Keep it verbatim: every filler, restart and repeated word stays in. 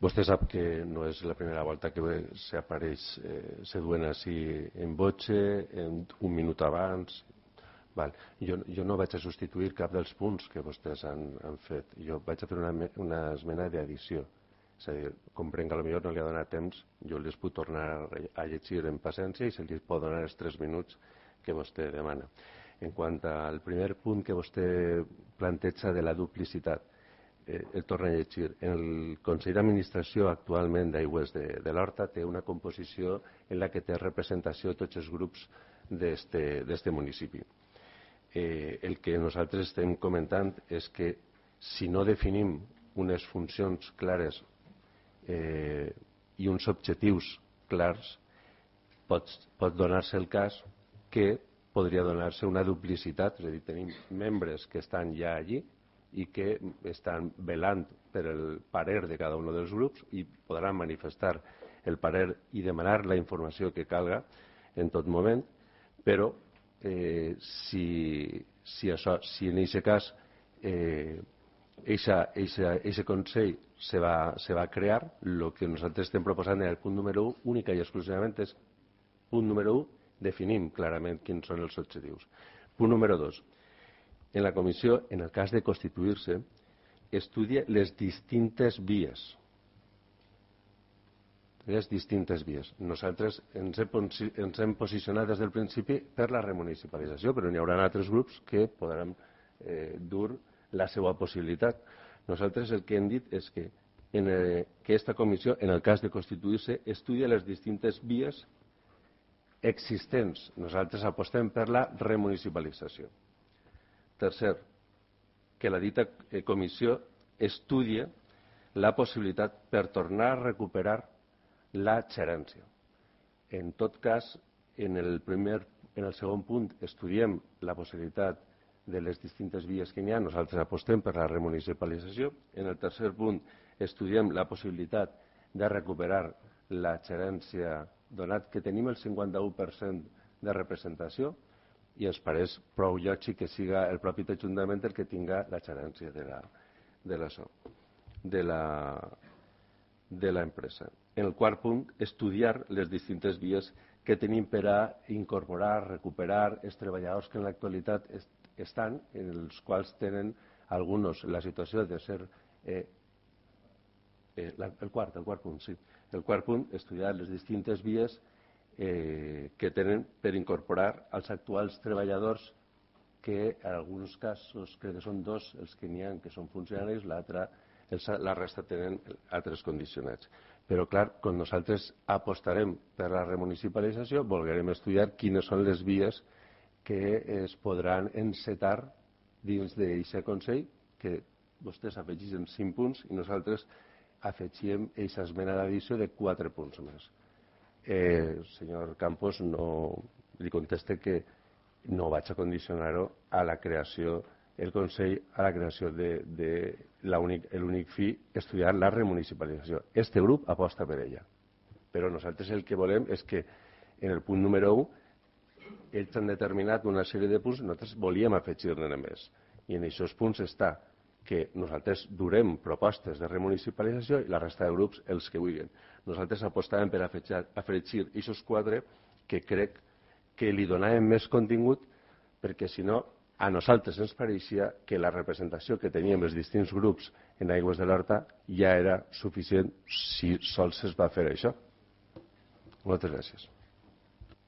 Vostè sap que no és la primera volta que s'apareix, eh, se duen així en voce, en un minut abans. Val. Jo, jo no vaig a substituir cap dels punts que vostès han, han fet. Jo vaig a fer una, una esmena d'addició. És a dir, comprenc que potser no li ha donat temps, jo les puc tornar a llegir en paciència i se li pot donar els tres minuts que vostè demana. En quant al primer punt que vostè planteja de la duplicitat, eh, el torno a llegir. El Consell d'Administració actualment d'Aigües de, de l'Horta té una composició en la que té representació tots els grups d'este municipi. Eh, el que nosaltres estem comentant és que si no definim unes funcions clares eh, i uns objectius clars, pot, pot donar-se el cas que podria donar-se una duplicitat, és a dir, tenim membres que estan ja allí i que estan velant per el parer de cada un dels grups i podran manifestar el parer i demanar la informació que calga en tot moment, però eh, si, si, això, si en aquest cas eh, aquest Consell se va, se va crear, el que nosaltres estem proposant en el punt número un, única i exclusivament és punt número un, definim clarament quins són els objectius. Punt número dos. En la comissió, en el cas de constituir-se, estudia les distintes vies. Les distintes vies. Nosaltres ens hem, ens hem posicionat des del principi per la remunicipalització, però n'hi haurà altres grups que podran eh, dur la seva possibilitat. Nosaltres el que hem dit és que en eh, aquesta comissió, en el cas de constituir-se, estudia les distintes vies existents. Nosaltres apostem per la remunicipalització. Tercer, que la dita comissió estudia la possibilitat per tornar a recuperar la gerència. En tot cas, en el, primer, en el segon punt estudiem la possibilitat de les distintes vies que n'hi ha. Nosaltres apostem per la remunicipalització. En el tercer punt estudiem la possibilitat de recuperar la gerència, donat que tenim el cinquanta-u per cent de representació, i ens pareix prou lògic que siga el propi Ajuntament el que tinga la gerència de la, de la, de la, de la empresa. En el quart punt, estudiar les distintes vies que tenim per a incorporar, recuperar els treballadors que en l'actualitat est estan, en els quals tenen alguns la situació de ser eh, eh, la, el quart, el quart punt, sí. El quart punt, estudiar les distintes vies Eh, que tenen per incorporar als actuals treballadors que en alguns casos, crec que són dos els que n'hi ha que són funcionaris, l'altra, la resta tenen altres condicionats. Però clar, quan nosaltres apostarem per la remunicipalització, volguem estudiar quines són les vies que es podran encetar dins d'aquest Consell, que vostès afegeixen cinc punts i nosaltres afegíem aquesta esmena d'addició de quatre punts més. Eh, senyor Campos, no li conteste que no vaig a condicionar-ho a la creació, el Consell, a la creació de, de l'únic fi, estudiar la remunicipalització. Este grup aposta per ella. Però nosaltres el que volem és que en el punt número un ells han determinat una sèrie de punts, nosaltres volíem afegir-ne més. I en aquests punts està que nosaltres durem propostes de remunicipalització i la resta de grups els que vulguin. Nosaltres apostàvem per afegir aquests quatre que crec que li donàvem més contingut, perquè si no a nosaltres ens pareixia que la representació que teníem els distints grups en Aigües de l'Horta ja era suficient si sols es va fer això. Moltes gràcies.